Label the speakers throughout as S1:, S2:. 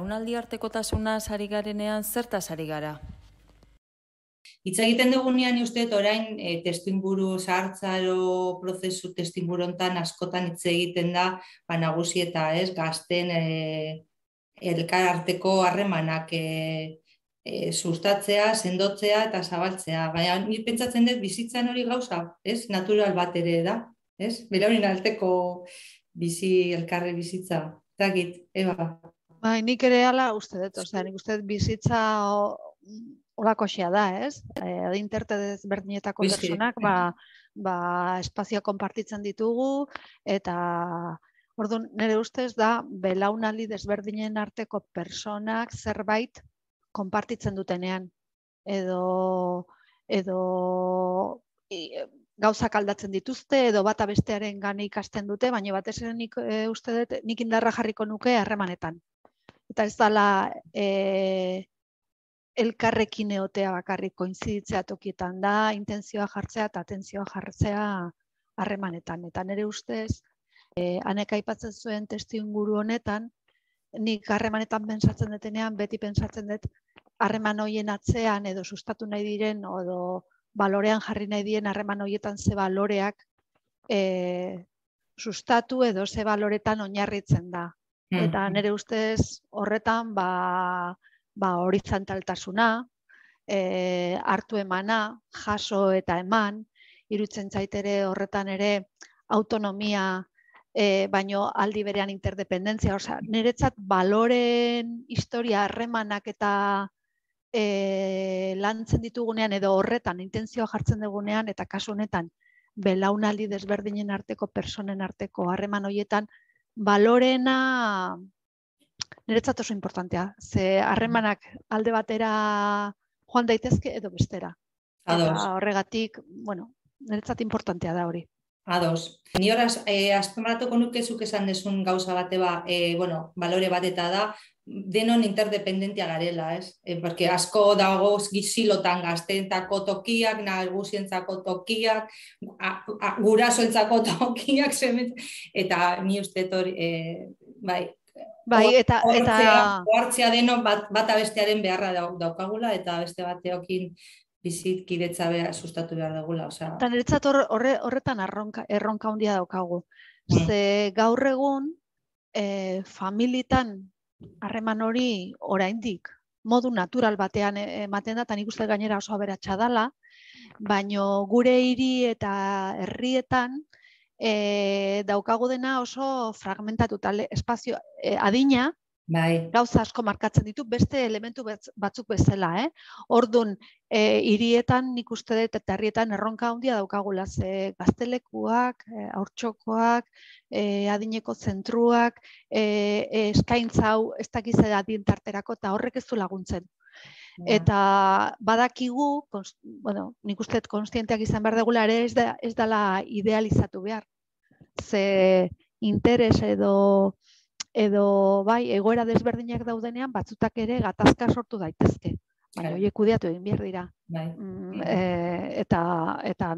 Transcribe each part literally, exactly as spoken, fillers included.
S1: belaunaldi artekotasunaz ari garenean zertaz ari gara?
S2: Hitz egiten dugunean uste dut orain e, testuinguru zahartzaro prozesu testuinguru hontan askotan hitz egiten da ba, nagusi eta ez gazten e, elkar arteko harremanak e, e, sustatzea, sendotzea eta zabaltzea. Baina ni pentsatzen dut bizitzan hori gauza, ez? Natural bat ere da, ez? Belaunen arteko bizi elkarri bizitza. Zakit, Eba.
S3: Bai, nik ere hala uste dut, osea, nik uste dut bizitza holakoxea da, ez? Eh, adinterte desberdinetako pertsonak, ba, ba, espazioa konpartitzen ditugu, eta orduan, nire ustez da, belaunaldi desberdinen arteko pertsonak zerbait konpartitzen dutenean, edo, edo e, gauzak aldatzen dituzte, edo bata bestearen gane ikasten dute, baina batez ere nik e, uste dut, nik indarra jarriko nuke harremanetan. Eta ez dela e, elkarrekin egotea bakarrik koinziditzea tokietan da, intentzioa jartzea eta atentzioa jartzea harremanetan. Eta nire ustez, e, anek aipatzen zuen testuinguru honetan, nik harremanetan pentsatzen detenean, beti pentsatzen dut harreman horien atzean edo sustatu nahi diren, edo balorean jarri nahi diren harreman horietan ze baloreak e, sustatu edo ze baloretan oinarritzen da. Eta nire ustez horretan ba, ba horizontaltasuna, e, hartu emana, jaso eta eman, iruditzen zaitere horretan ere autonomia, e, baino aldi berean interdependentzia. Osea, niretzat baloren historia, harremanak eta e, lantzen ditugunean edo horretan intentzioa jartzen dugunean, eta kasu honetan belaunaldi desberdinen arteko, personen arteko harreman horietan, balorena niretzat oso importantea. Ze harremanak alde batera joan daitezke edo bestera.
S2: Ados.
S3: Eta horregatik, bueno, niretzat importantea da hori.
S2: Ados. Ni horaz, eh, azpimarratuko nuke zuk esan desun gauza bate ba, eh, bueno, balore bat eta da, denon interdependentia garela, ez? Eh, porque asko dago gizilotan gazteentako tokiak, nagusientzako tokiak, gurasoentzako tokiak, eta ni uste hori, eh, bai,
S3: bai, eta, eta...
S2: ohartzea denon bat, bata bestearen beharra daukagula, eta beste bateokin bizitkidetza behar, sustatu behar dugula.
S3: Eta niretzat horre, horretan erronka, erronka handia daukagu. Mm. Ze gaur egun, e, familitan harreman hori oraindik modu natural batean ematen da, eta nik uste gainera oso aberatsa dela, baino gure hiri eta herrietan e, daukagu dena oso fragmentatuta, espazio e, adina,
S2: bai.
S3: Gauza asko markatzen ditu, beste elementu batzuk bezala. Eh? Orduan, e, hirietan nik uste dut eta herrietan erronka handia daukagula, ze gaztelekuak, e, haurtxokoak, e, adineko zentruak, e, e, eskaintza hau ez dakiz adintarterako eta horrek ez du laguntzen. Ja. Eta badakigu, konst, bueno, nik uste dut konstienteak izan behar degula ere ez, da, ez dela idealizatu behar. Ze interes edo edo bai, egoera desberdinak daudenean, batzutak ere gatazka sortu daitezke. Baina horiek kudeatu egin behar dira.
S2: Bai.
S3: Mm, e, eta, eta,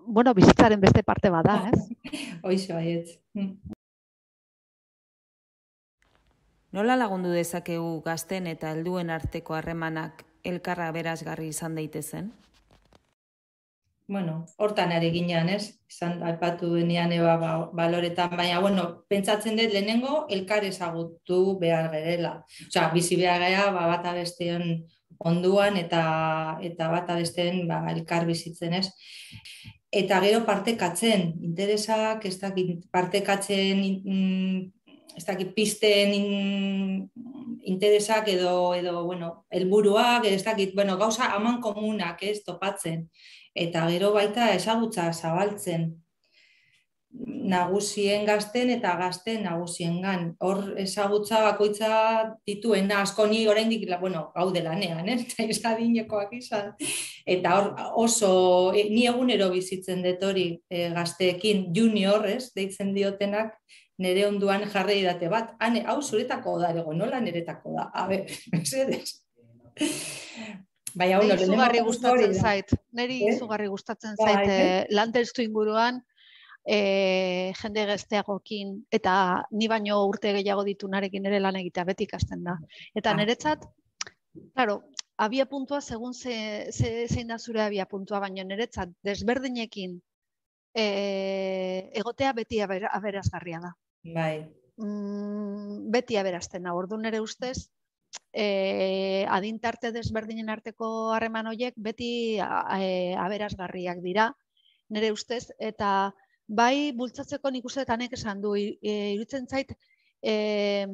S3: bueno, bizitzaren beste parte bada, ez?
S2: Hoize baiet.
S1: Nola lagundu dezakegu gazten eta helduen arteko harremanak elkarra berazgarri izan daitezen?
S2: Bueno, hortan ari ginean, ez? Izan aipatu denean eba ba, baloretan, baina, bueno, pentsatzen dut lehenengo elkar ezagutu behar gerela. Osea, bizi behar gara, ba, bata bestean onduan eta eta bata besteen ba, elkar bizitzen, ez? Eta gero partekatzen, interesak, ez dakit, partekatzen, ez dakit, pisten interesak edo, edo bueno, helburuak, ez dakit, bueno, gauza aman komunak, ez, topatzen. Eta gero baita ezagutza zabaltzen nagusien gazten eta gazten nagusiengan. Hor ezagutza bakoitza dituena asko ni oraindik, bueno, gaude lanean, eh? Eta ez adinekoak izan. Eta hor oso, ni egunero bizitzen dut hori e, gazteekin junior, ez, deitzen diotenak, nire onduan jarri date bat. Hane, hau zuretako da, ego, nola niretako da? A ber, mesedez.
S3: Neri izugarri gustatzen zait, neri izugarri gustatzen zait, lan testu inguruan, e, jende gazteagokin, eta ni baino urte gehiago ditu narekin ere lan egitea beti ikasten da. Eta niretzat, claro, abia puntua segun ze, ze, zein da zure abia puntua, baina niretzat desberdinekin e, egotea beti aber, aberazgarria da.
S2: Bai.
S3: Mm, beti aberazten da, ordu nire ustez, e, adintarte desberdinen arteko harreman horiek beti e, aberazgarriak dira, nire ustez, eta bai bultzatzeko nik uste tanek esan du, e, irutzen zait, e,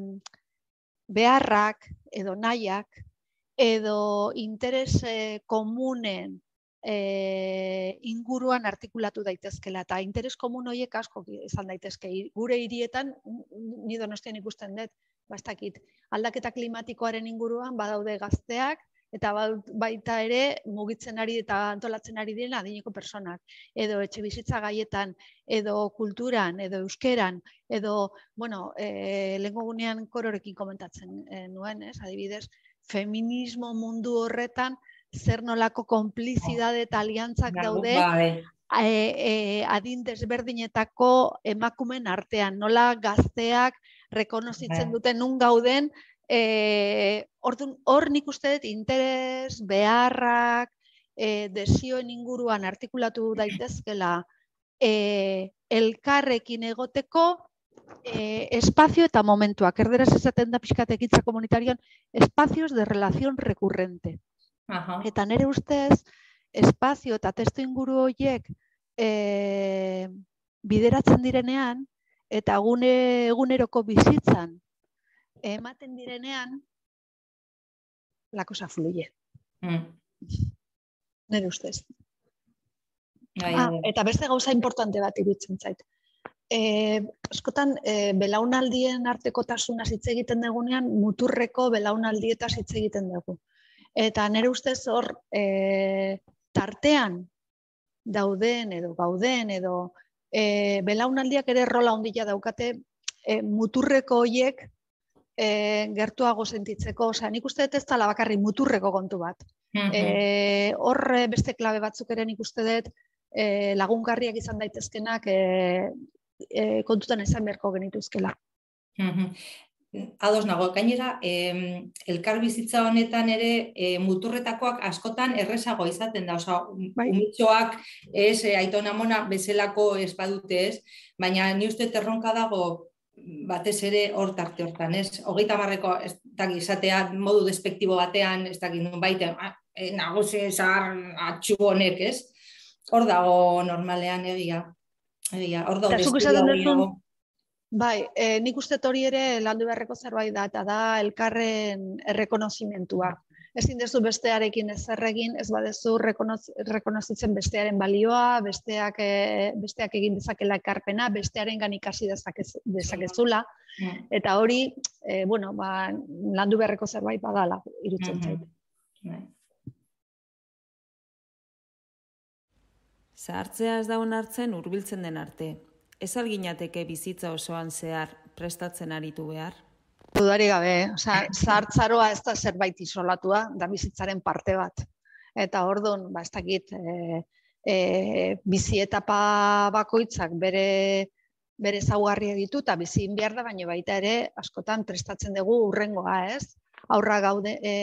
S3: beharrak edo nahiak, edo interes e, komunen e, inguruan artikulatu daitezkela, eta interes komun horiek asko izan daitezke. Gure hirietan, ni Donostian ikusten dut, bastakit, aldaketa klimatikoaren inguruan badaude gazteak, eta baita ere mugitzen ari eta antolatzen ari diren adineko personak, edo etxe bizitza gaietan, edo kulturan, edo euskeran, edo, bueno, e, lehenko gunean kororekin komentatzen e, nuen, ez, adibidez, feminismo mundu horretan zer nolako konplizidade eta aliantzak daude e, e, adin desberdinetako emakumen artean, nola gazteak rekonozitzen duten nun gauden, e, hor nik uste dut interes, beharrak, e, desioen inguruan artikulatu daitezkela e, elkarrekin egoteko Eh, espazio eta momentuak, erderaz esaten da pixkat ekintza komunitarioan, espazios de relación recurrente. Aha. Eta nire ustez, espazio eta testu inguru horiek e, bideratzen direnean, eta gune, eguneroko bizitzan ematen direnean, la cosa fluye. Mm. Nire ustez. Ah, eta beste gauza importante bat iruditzen zait. E, askotan, e, belaunaldien artekotasunaz hitz egiten dugunean, muturreko belaunaldietaz hitz egiten dugu. Eta nire ustez hor, e, tartean dauden edo gauden edo e, belaunaldiak ere rola ondila daukate e, muturreko horiek e, gertuago sentitzeko. Osea, nik uste dut ez dela bakarri muturreko kontu bat. E, hor beste klabe batzuk ere nik uste dut e, lagungarriak izan daitezkenak e, E, kontutan esan beharko genituzkela.
S2: Ados nago, gainera, eh, elkar bizitza honetan ere eh, muturretakoak askotan errezago izaten da, oza, bai. Umitxoak ez, eh, aitona amona bezalako ez badute ez, baina ni uste terronka dago batez ere hor tarte hortan, ez? Hogeita marreko ez daki izatea modu despektibo batean, ez daki nun baiten, eh, nagusi zahar atxu honek, ez? Hor dago normalean egia. Egia, hor dago estudio horiago.
S3: Bai, e, nik uste hori ere landu beharreko zerbait da, eta da elkarren errekonozimentua. Ezin dezu bestearekin ezer egin, ez badezu rekonozitzen bestearen balioa, besteak, e, besteak egin dezakela ekarpena, bestearen ikasi dezakezula. Eta hori, e, bueno, ba, landu beharreko zerbait badala, irutzen zait.
S1: Zahartzea ez da onartzen hurbiltzen den arte. Ez alginateke bizitza osoan zehar prestatzen aritu behar?
S3: Dudari gabe, zahartzaroa ez da zerbait isolatua, da bizitzaren parte bat. Eta orduan, ba, ez dakit, e, e, bizi etapa bakoitzak bere, bere ezaugarriak ditu, eta bizi behar da, baina baita ere, askotan prestatzen dugu urrengoa, ez? Aurra gaude e,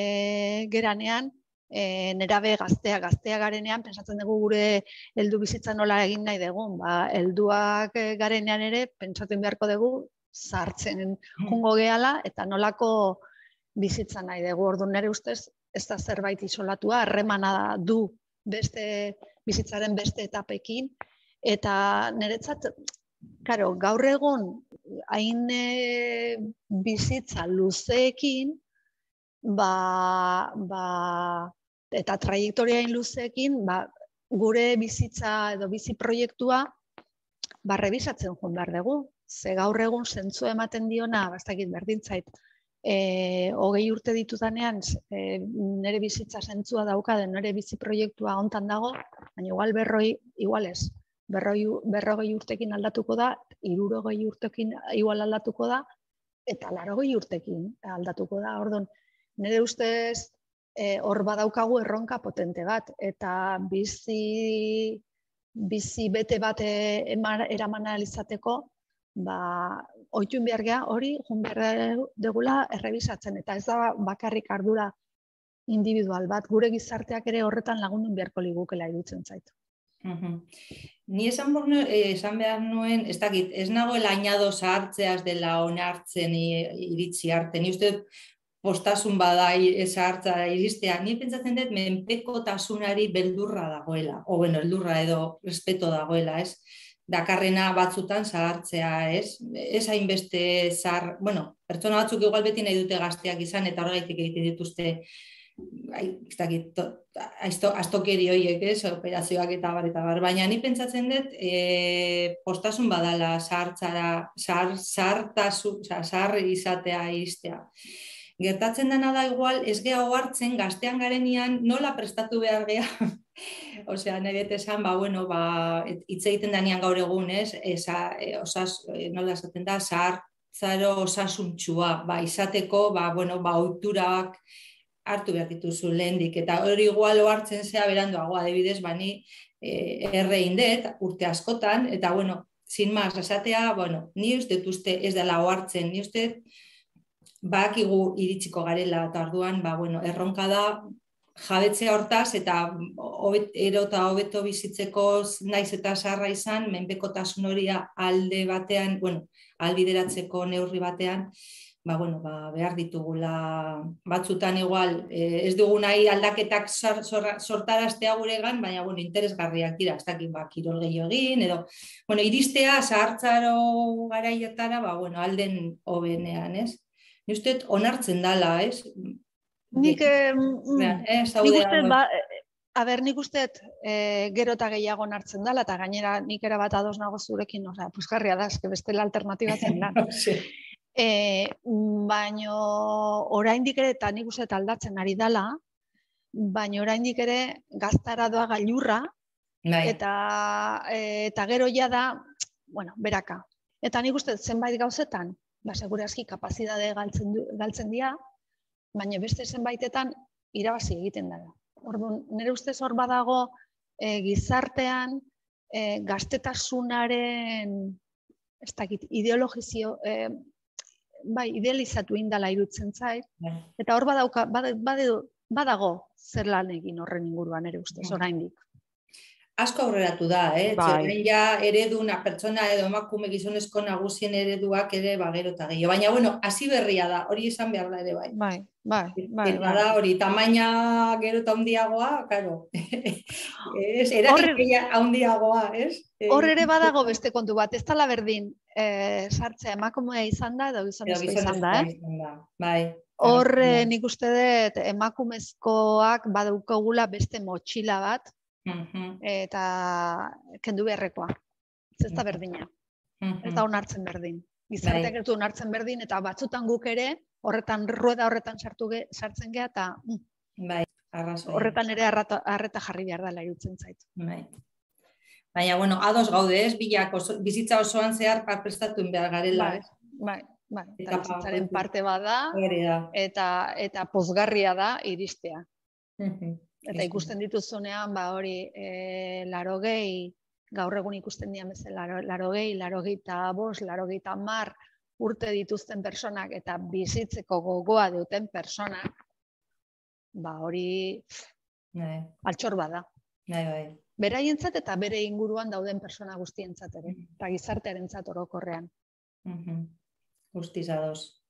S3: geranean, E, nerabe gaztea, gaztea garenean, pentsatzen dugu gure heldu bizitza nola egin nahi dugun. Ba, helduak garenean ere, pentsatzen beharko dugu, zahartzen jungo gehala, eta nolako bizitza nahi dugu. Orduan nire ustez, ez da zerbait isolatua, harremana du beste bizitzaren beste etapekin, eta niretzat, karo, gaur egun, hain e, bizitza luzeekin, Ba, ba, eta trajektoriain luzeekin, ba, gure bizitza edo bizi proiektua ba, rebisatzen joan behar dugu. Ze gaur egun zentzu ematen diona, bastakit berdintzait, e, hogei urte ditudanean, e, nire bizitza zentzua daukaden, nire bizi proiektua hontan dago, baina igual berroi, igual ez, berroi, berrogei urtekin aldatuko da, hirurogei urtekin igual aldatuko da, eta larogei urtekin aldatuko da, orduan. Nire ustez hor badaukagu erronka potente bat, eta bizi bizi bete bat eraman alizateko, ba, oitun behar geha hori, jun behar degula errebisatzen, eta ez da bakarrik ardura individual bat, gure gizarteak ere horretan lagundun beharko ligukela irutzen zaitu.
S2: Ni esan, esan behar nuen, ez dakit, ez nagoela añado zahartzeaz dela onartzen iritsi arte, ni uste postasun bada zahartza iristea, ni pentsatzen dut menpekotasunari beldurra dagoela, o bueno, beldurra edo respeto dagoela, ez? Dakarrena batzutan zahartzea, ez? Ez hainbeste zahar, bueno, pertsona batzuk igual beti nahi dute gazteak izan, eta horregaitik egiten dituzte, ez dakit, astokeri horiek, ez? Operazioak eta bar, eta bar, baina ni pentsatzen dut postasun badala zahartzara, zahartasun, zahar izatea iristea. Gertatzen dena da igual, ez geha ohartzen gaztean garenian nola prestatu behar geha. Osea, nire esan, ba, bueno, ba, hitz egiten danean gaur egun, ez? Esa, osas, nola esaten da, zahartzaro osasuntxua, ba, izateko, ba, bueno, ba, ohiturak hartu behar dituzu lehendik, eta hori igual ohartzen zea beranduago, adibidez, bani erre indet, urte askotan, eta, bueno, sin más, esatea, bueno, ni uste uste ez dela ohartzen, ni uste bakigu iritsiko garela, eta orduan, ba, bueno, erronka da jabetzea hortaz, eta ero eta hobeto bizitzeko naiz eta zaharra izan, menpekotasun hori alde batean, bueno, albideratzeko neurri batean, ba, bueno, ba, behar ditugula batzutan igual, ez dugu nahi aldaketak sortaraztea guregan, baina, bueno, interesgarriak dira, ez dakit, ba, kirol gehiago egin, edo, bueno, iristea, zahartzaro garaietara, ba, bueno, alden hobenean, ez? Ni uste onartzen dala, ez?
S3: Nik, nik uste, ba, a ber, nik uste gero eta gehiago onartzen dala, eta gainera nik era bat ados nago zurekin, osea, pusgarria da, eske bestela alternatibatzen da. Baina oraindik ere, eta nik uste aldatzen ari dala, baina oraindik ere gaztara doa gailurra, eta gero ja da, bueno, beraka. Eta nik uste zenbait gauzetan, ba, segurazki kapazidade galtzen dira, baina beste zenbaitetan irabazi egiten dara. Orduan, nire ustez hor badago gizartean gaztetasunaren, ez dakit, ideologizio, bai, idealizatu indala irutzen zait, eta hor badago zer lan egin horren inguruan nire ustez, oraindik.
S2: Asko aurreratu da, eh? Zeren ja ereduna, pertsona edo emakume gizonezko nagusien ereduak ere bagero eta gehiago. Baina, bueno, hasi berria da, hori esan behar da ere bai.
S3: Bai, bai, bai.
S2: Eta da hori, tamaina gero eta handiagoa, karo. Eratik handiagoa, ez?
S3: Hor ere badago beste kontu bat, ez dala berdin sartzea emakumea izan da edo gizonezko izan da, eh?
S2: Bai.
S3: Hor nik uste dut emakumezkoak badaukagula beste motxila bat, eta kendu beharrekoa. Ez da berdina. Ez da onartzen berdin. Gizarteak ez du onartzen berdin, eta batzutan guk ere, horretan, rueda horretan sartzen geha, eta horretan ere arreta jarri behar dela irutzen zaitu.
S2: Baina, bueno, ados gaude ez, bizitza osoan zehar prestatu behar garela.
S3: Bai, bai. Eta bizitzaren parte bada, eta pozgarria da iristea. Eta ikusten dituzunean, ba hori, larogei, gaur egun ikusten dian bezala, larogei, larogei eta bost, larogei eta mar urte dituzten personak eta bizitzeko gogoa duten personak, ba hori altxor bada. Beraientzat eta bere inguruan dauden persona guztientzat ere, eta gizartearentzat orokorrean.
S2: Guztiz ados.